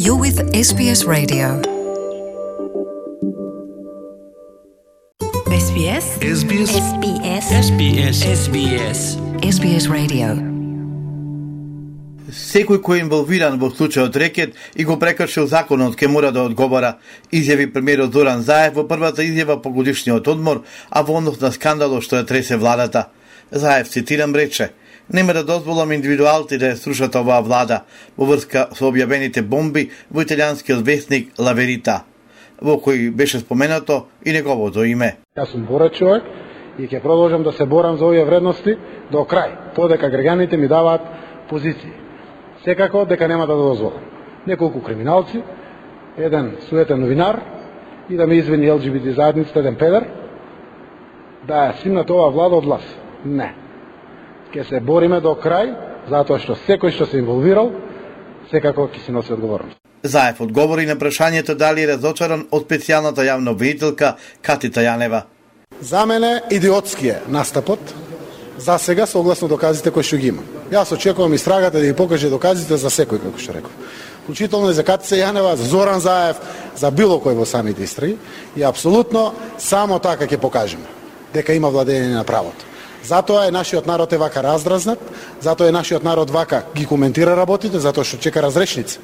You're with SBS Radio. SBS. SBS. SBS. SBS. SBS. SBS Radio. Секој кој е инволвиран во случајот рекет и го прекршил законот ке мора да одговара, изјави премиерот Зоран Заев во првата изјава по годишниот одмор, а во однос на скандалот што ја тресе владата. Заев, цитирам, рече: "Нема да дозволам индивидуалци да ја срушат оваа влада во врска со објавените бомби во италијанскиот весник La Verità, во кој беше споменато и неговото име. Јас сум борец човек и ќе продолжам да се борам за овие вредности до крај, подека граѓаните ми даваат позиции. Секако дека нема да дозволам неколку криминалци, еден суетен новинар и да ме извини ЛГБТ заедницата, еден педер, да ја симнат оваа влада од власт. Не. Ќе се бориме до крај, затоа што секој што се инволвирал, секако ќе си носи одговорност. Заев одговори на прашањето дали е разочаран од специјалната јавна обвинителка Катица Јанева. За мене идиотски е настапот, за сега согласно доказите кои што ги има. Јас очекувам истрагата да ги покаже доказите за секој, како што реков. Вклучително и за Катица Јанева, за Зоран Заев, за било кој во самите истраги, и апсолутно само така ќе покажеме дека има владење на правото. Затоа е нашиот народ е вака раздразнат, затоа е нашиот народ вака ги коментира работите, затоа што чека разрешница.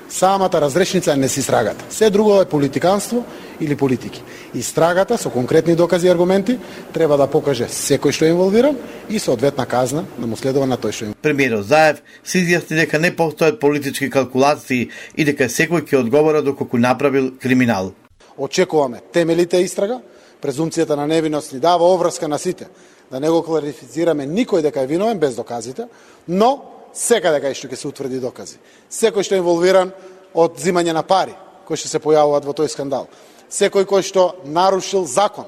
Самата разрешница не си истрагата. Се друго е политиканство или политики. Истрагата со конкретни докази и аргументи треба да покаже секој што е инволвиран и соодветна казна да му следува на тој што е. Премиерот Заев се изјасни дека не постојат политички калкулации и дека секој ќе одговара доколку направил криминал. Очекуваме темелите истрага, презумцијата на невиност ни дава обврска на сите, да не го кларифицираме никој дека е виновен без доказите, но секаде кај што ќе се утврди докази. Секој што е инволвиран од зимање на пари, кои што се појавуваат во тој скандал, секој кој што нарушил закон,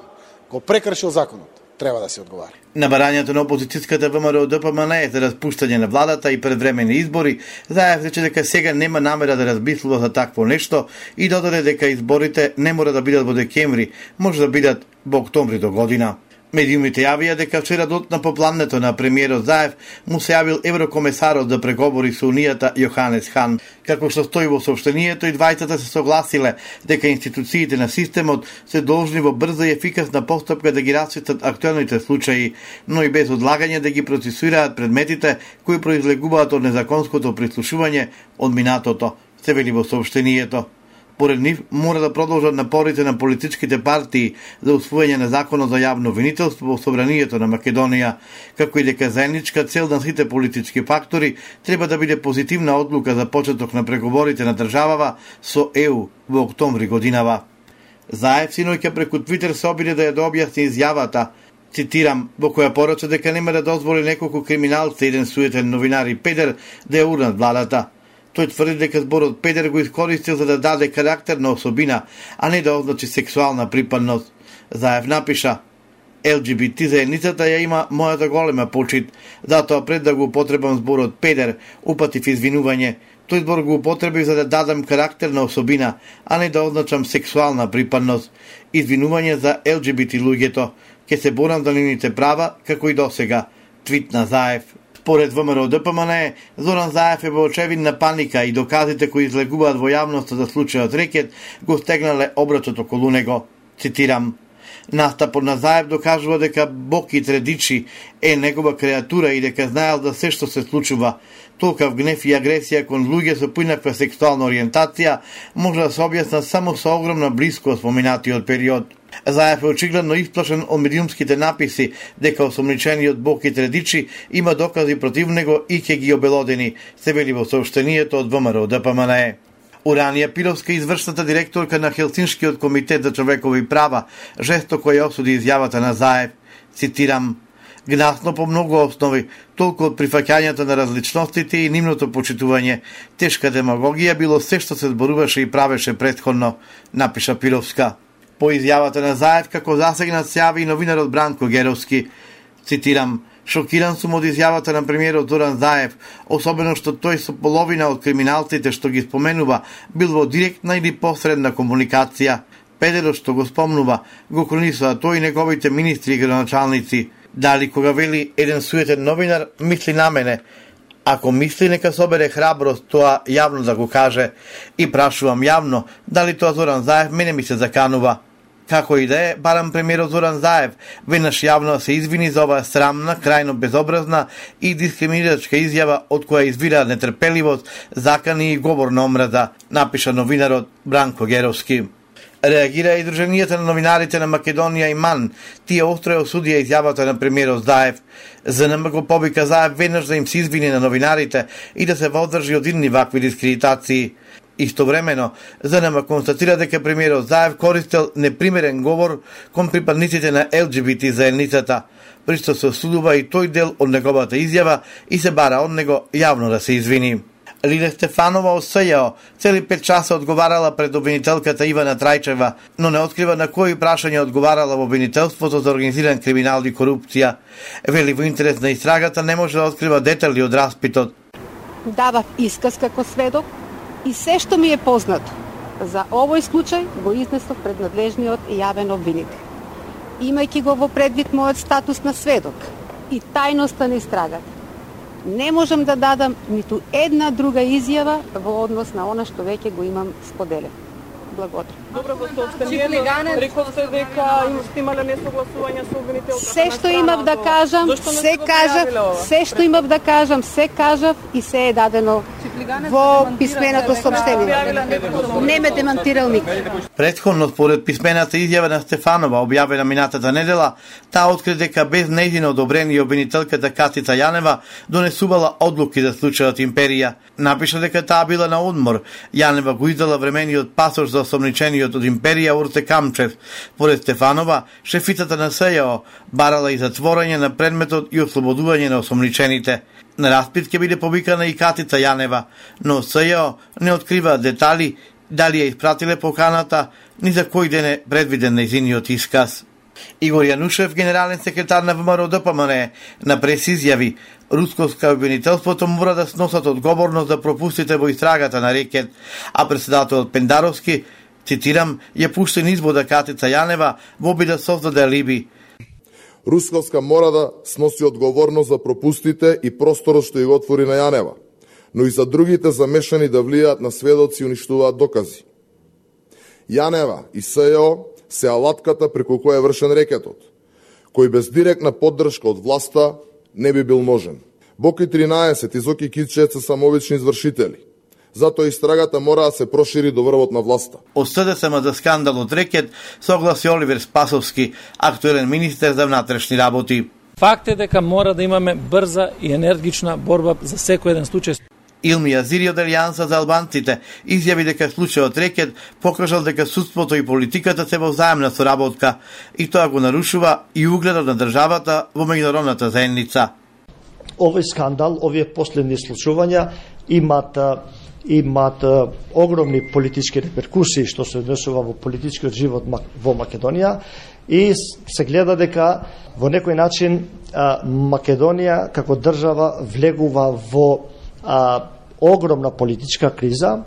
го прекршил законот, треба да се одговари. На барањето на опозицијската ВМРО ДПМН за распуштање на владата и предвремени избори, Заев рече дека сега нема намера да размислува за такво нешто и додаде дека изборите не мора да бидат во декември, може да бидат во октомври до година. Медиумите јавија дека вчера дотна по плането на премиерот Заев му се јавил еврокомесарот за преговори со Унијата Јоханес Хан. Како што стои во соопштението, и двајцата се согласиле дека институциите на системот се должни во брза и ефикасна постапка да ги расветат актуелните случаи, но и без одлагање да ги процесуираат предметите кои произлегуваат од незаконското прислушување од минатото, се вели во соопштението. Поред нив, мора да продолжат напорите на политичките партии за усвојање на законот за јавно обвинителство во собранието на Македонија, како и дека заедничка цел на сите политички фактори треба да биде позитивна одлука за почеток на преговорите на државава со ЕУ во октомври годинава. Заев синоќа преку Твитер се обиде да ја објасни изјавата, цитирам, во која порача дека нема да дозволи неколку криминалци, еден суетен новинар и педер да ја урнат владата. Тој тврди дека зборот педер го искористил за да даде карактерна особина, а не да означи сексуална припадност. Заев напиша: ЛГБТ заедницата ја има мојата голема почит, затоа пред да го употребам зборот педер, упатив извинување. Тој збор го употребив за да дадам карактерна особина, а не да означам сексуална припадност. Извинување за ЛГБТ луѓето. Ке се борам за нивните права, како и досега. Твит на Заев. Според ВМРО ДПМН, Зоран Заев е во очевидна паника и доказите кои излегуваат во јавноста за случајот рекет го стегнале обрачот околу него. Цитирам: "Настапот на Заев докажува дека Боки Тредичи е негова креатура и дека знаел за се што се случува. Толкав гнев и агресија кон луѓе со поинаква сексуална ориентација може да се објасна само со огромна блискост во минатиот период." Заев е очигледно исплашен од медиумските написи дека осомничениот Боки Тредичи има докази против него и ќе ги обелодени, се вели во соопштението од ВМРО ДПМН. Уранија Пировска, извршната директорка на Хелсиншкиот комитет за човекови права, жестоко ја осуди изјавата на Заев. Цитирам: "Гнасно по многу основи, толку од прифаќањето на различностите и нивното почитување. Тешка демагогија било се што се зборуваше и правеше претходно", напиша Пировска. По изјавата на Заев, како засегнат се јави и новинарот Бранко Геровски. Цитирам: "Шокиран сум од изјавата на премиерот Зоран Заев, особено што тој со половина од криминалците што ги споменува бил во директна или посредна комуникација. Педерот што го спомнува го кронисува тој и неговите министри и градоначалници. Дали кога вели еден суетен новинар, мисли на мене. Ако мисли, нека собере храброст тоа јавно да го каже. И прашувам јавно, дали тоа Зоран Заев мене ми се заканува. Како и да е, барам премиерот Зоран Заев веднаш јавно се извини за оваа срамна, крајно безобразна и дискриминирачка изјава од која извира нетрпеливост, закани и говор на омраза, напиша новинарот Бранко Геровски. Реагира и Друженијата на новинарите на Македонија и МАН. Тие остро ја осудија изјавата на премиерот Заев. ЗНМ го повика Заев веднаш да им се извини на новинарите и да се воздржи од идни вакви дискредитации. Истовремено, ЗНМ констатира дека премиерот Заев користел непримерен говор кон припадниците на ЛГБТ заедницата. Присто се осудува и тој дел од неговата изјава и се бара од него јавно да се извини. Лиле Стефанова од СЈО цели 5 часа одговарала пред обвинителката Ивана Трајчева, но не открива на кои прашања одговарала во обвинителството за организиран криминал и корупција. Вели, во интерес на истрагата не може да открива детали од распитот. Давав исказ како сведок и се што ми е познато за овој случај го изнесов пред надлежниот јавен обвинител. Имајќи го во предвид мојот статус на сведок и тајноста на истрагата, не можам да дадам ниту една друга изјава во однос на она што веќе го имам споделено. Благодарам. Добро, во сообщението рековте дека сте имале несогласување со обвинителката. Се што имав да кажам, се што имав да кажам, се кажав и се е дадено во писменото сообщение. Не ме демантирал никој. Претходно, според писмената изјава на Стефанова, објавена минатата недела, таа откри дека без нејзино одобрение обвинителката Катица Јанева донесувала одлуки за случајот Империја. Напиша дека таа била на одмор. Јанева го издала времениот пасош за осомничениот од Империја Урте Камчев. Поред Стефанова, шефицата на СЈО барала и затворање на предметот и ослободување на осомничените. На распит ќе биде повикана и Катица Јанева, но СЈО не открива детали дали ја испратиле поканата, ни за кој ден е предвиден нејзиниот исказ. Игор Јанушев, генерален секретар на ВМРО ДПМН, на прес изјави, русковска обвинителството мора да сносат одговорност за пропустите во истрагата на рекет, а председателот Пендаровски, цитирам, ја пушти низ вода Катица Јанева во обид да создаде алиби. Русковска мора да сноси одговорност за пропустите и просторот што ја го отвори на Јанева, но и за другите замешани да влијаат на сведоци и уништуваат докази. Јанева и СЈО се алатката преку која е вршен рекетот, кој без директна поддршка од власта не би бил можен. Боки 13 и Зоки Кичев се самовични извршители. Затоа истрагата мора да се прошири до врвот на власта. Од СДСМ за скандалот рекет согласи Оливер Спасовски, актуелен министер за внатрешни работи. Факт е дека мора да имаме брза и енергична борба за секој еден случај. Илми Азири од Алијанса за албанците изјави дека случајот рекет покажал дека судството и политиката се во взаемна соработка и тоа го нарушува и угледот на државата во меѓународната заедница. Овој скандал, овие последни случувања имат огромни политички реперкусии што се однесува во политичкиот живот во Македонија и се гледа дека во некој начин Македонија како држава влегува во огромна политичка криза.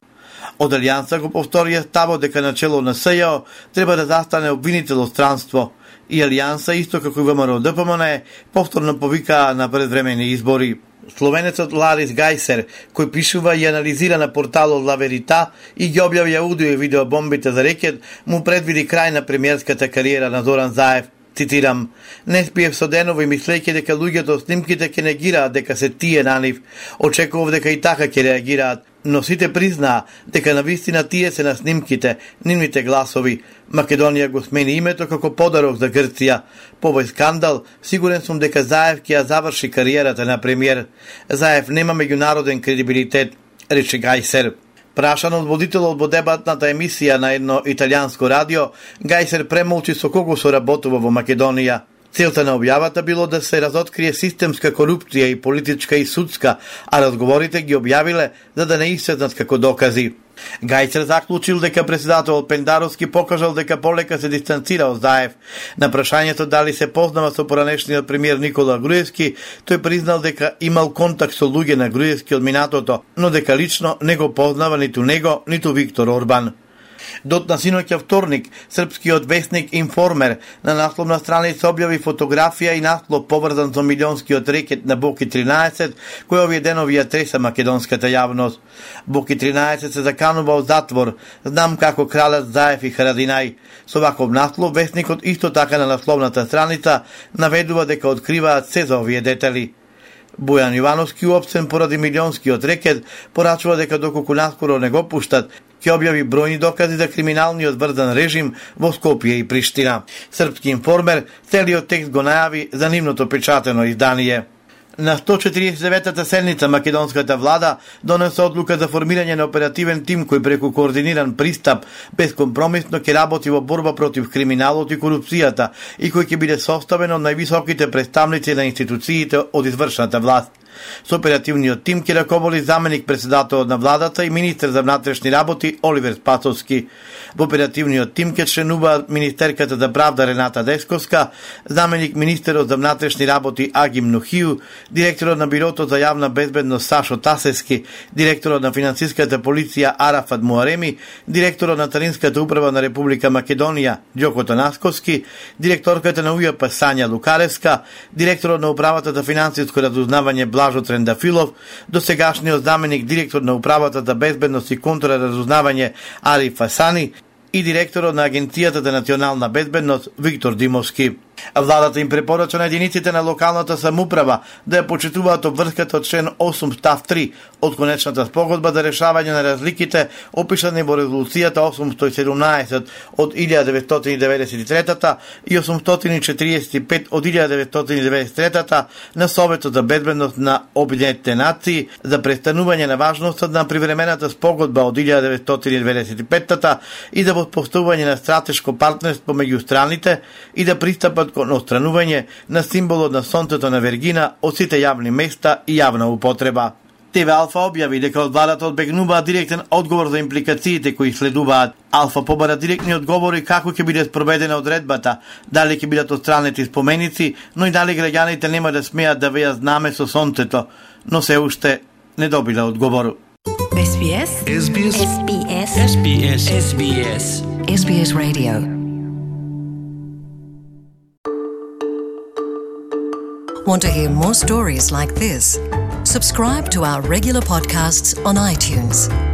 Од Алијанса го повторија ставот дека начело на СЈО треба да застане обвинител од странство и Алијанса, исто како и ВМРО ДПМН, повторно повика на предвремени избори. Словенецот Ларис Гајсер, кој пишува и анализира на порталот La Verità и ги објави аудио и видео бомбите за рекет, му предвиди крај на премиерската кариера на Зоран Заев. Цитирам, не спиев со денови мислејќи дека луѓето од снимките ќе негираат дека се тие на нив. Очекував дека и така ќе реагираат, но сите признаа дека навистина тие се на снимките, нивните гласови. Македонија го смени името како подарок за Грција. По овој скандал, сигурен сум дека Заев ќе ја заврши кариерата на премиер. Заев нема меѓународен кредибилитет, рече Гајсер. Прашан од водителот во дебатната емисија на едно италијанско радио, Гајсер премолчи со кого соработува во Македонија. Целта на објавата било да се разоткрие системска корупција и политичка и судска, а разговорите ги објавиле за да не исчезнат како докази. Гајсер заклучил дека председателот Пендаровски покажал дека полека се дистанцира од Заев. На прашањето дали се познава со поранешниот премиер Никола Груевски, тој признал дека имал контакт со луѓе на Груевски од минатото, но дека лично не го познава ниту него, ниту Виктор Орбан. Дотна синоќа вторник, српскиот весник Информер на насловна страница објави фотографија и наслов поврзан со милионскиот рекет на Боки 13, кој овие денови ја треса македонската јавност. Боки 13 се заканува во затвор, знам како кралец Заев и Харадинај. Со ваков наслов, весникот исто така на насловната страница наведува дека откриваат се за овие детали. Бојан Јовановски, уопсен поради милионскиот рекет, порачува дека доколку наскоро не го пуштат, ќе објави бројни докази за криминалниот врзан режим во Скопје и Приштина. Српски Информер целиот текст го најави за нивното печатено издание. На 149-та седница македонската влада донесе одлука за формирање на оперативен тим кој преку координиран пристап безкомпромисно ќе работи во борба против криминалот и корупцијата и кој ќе биде составен од највисоките представници на институциите од извршната власт. Со оперативниот тим ќе раководи заменик председателот на владата и министер за внатрешни работи Оливер Спасовски. Во оперативниот тим ќе членуваат министерката за правда Рената Десковска, заменик министерот за внатрешни работи Агим Нухију, директорот на бирото за јавна безбедност Сашо Тасевски, директорот на финансиската полиција Арафат Муареми, директорот на Таринската управа на Република Македонија Ѓоко Танасковски, директорката на УЈП Сања Лукаревска, директорот на управата за финансиско разузнавање Блажо Трендафилов, досегашниот заменик директор на управата за безбедност и контраразузнавање Ариф Фасани и директорот на Агенцијата за национална безбедност Виктор Димовски. Владата им препорача на единиците на локалната самоуправа да ја почитуваат обврската од член 8 став 3 од конечната спогодба за решавање на разликите опишани во резолуцијата 817 од 1993 и 845 од 1993 на Советот за безбедност на Обединетите нации за престанување на важноста на привремената спогодба од 1995 и за воспоставување на стратешко партнерство меѓу страните и да пристапат кон отстранување на символот на сонцето на Вергина од сите јавни места и јавна употреба. ТВ Алфа објави дека од владата одбегнуваат директен одговор за импликациите кои следуваат. Алфа побара директни одговори како ќе биде спроведена одредбата, дали ќе бидат отстранети споменици, но и дали граѓаните нема да смеат да веат знаме со сонцето, но се уште не добиле одговор. SBS SBS SBS SBS SBS SBS Radio. Want to hear more stories like this? Subscribe to our regular podcasts on iTunes.